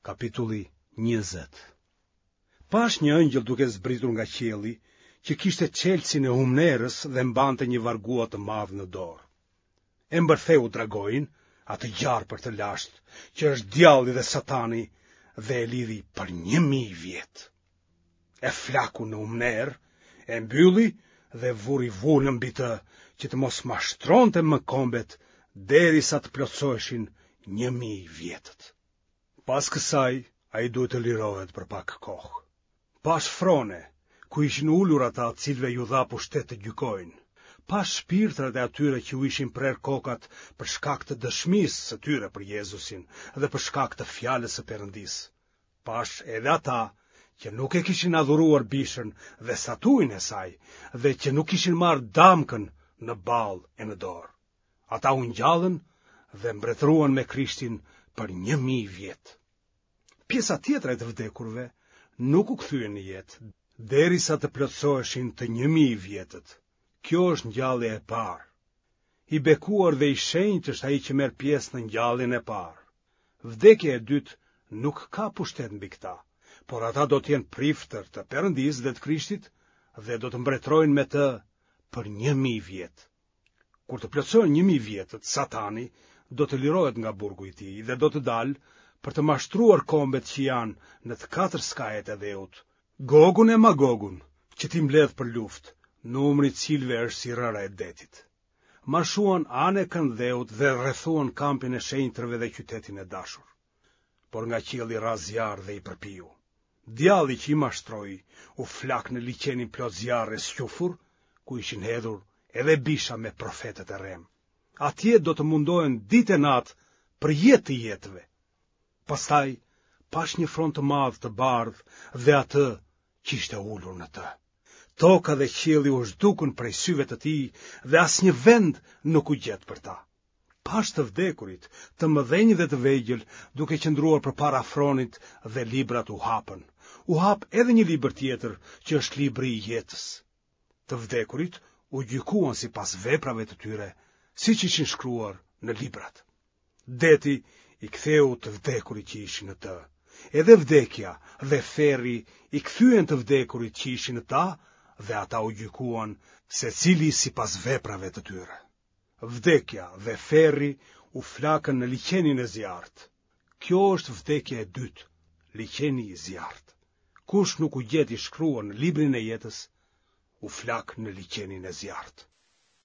Kapitulli 20 Pashë një ëngjëll duke zbritur nga qielli, që kishte çelësin e humnerës dhe mbante një vargua të madh në dorë. E mbërtheu dragoin, atë gjarpër të lashtë, që është djalli dhe satani, dhe e lidhi për 1000 vjet. E flaku në humnerë, e mbylli dhe vuri vulën mbi të, që të mos mashtronte më kombet derisa të plotësoheshin 1000 vjetët. Pas kësaj, ai duhet të lirohet për pak kohë. Pashë frone, ku ishin ulur ata të cilëve iu dha pushtet të gjykojnë. Pashë shpirtrat e atyre që u ishin prerë kokat për shkak të dëshmisë së tyre për Jezusin dhe për shkak të fjalës së Perëndisë. Pashë edhe ata që nuk e kishin adhuruar bishën dhe statujën e saj dhe që nuk kishin marrë damkën në ballë e në dorë. Ata u ngjallën dhe mbretëruan me Krishtin për 1000 vjet. Pjesa tjetër e të vdekurve nuk u kthyen në jetë, derisa të plotësoheshin të 1000 vjetët. Kjo është ngjallja e parë. I bekuar dhe i shenjtë është ai që merr pjesë në ngjalljen e parë. Vdekja e dytë nuk ka pushtet mbi këta, por ata do të jenë priftër të Perëndisë dhe të Krishtit dhe do të mbretërojnë me të për 1000 vjet. Kur të plotësohen 1000 vjetët, Satani do të lirohet nga burgu i tij dhe do të dalë për të mashtruar kombet që janë në të katër skajet e dheut, Gogun e Magogun, që t'i mbledhë për luftë, numri i të cilëve është si rëra e detit. Marshuan anë e kënd dheut dhe rrethuan kampin e shenjtërve dhe qytetin e dashur. Por nga qielli ra zjarr dhe i përpiu. Djalli që i mashtroi u flak në liqenin plot zjarr e squfur, ku ishin hedhur edhe bisha me profetët e rremë. Atje do të mundohen ditë e natë për jetë të jetëve. Pastaj pashë një fron të madh të bardhë dhe atë që ishte ulur në të. Toka dhe qielli u zhdukën prej syve të tij dhe asnjë vend nuk u gjet për ta. Pashë të vdekurit, të mëdhenj dhe të vegjël, duke qëndruar përpara fronit dhe librat u hapën. U hap edhe një libër tjetër, që është libri i jetës. Të vdekurit u gjykuan sipas veprave të tyre, siç ishin shkruar në librat. Deti i ktheu të vdekurit që ishin në të. Edhe vdekja dhe ferri i kthyen të vdekurit që ishin në ta dhe ata u gjykuan secili sipas veprave të tyre. Vdekja dhe ferri u flakën në liqenin e zjarrtë. Kjo është vdekja e dytë, liqeni i zjarrtë. Kush nuk u gjet i shkruar në librin e jetës, u flak në liqenin e zjarrtë.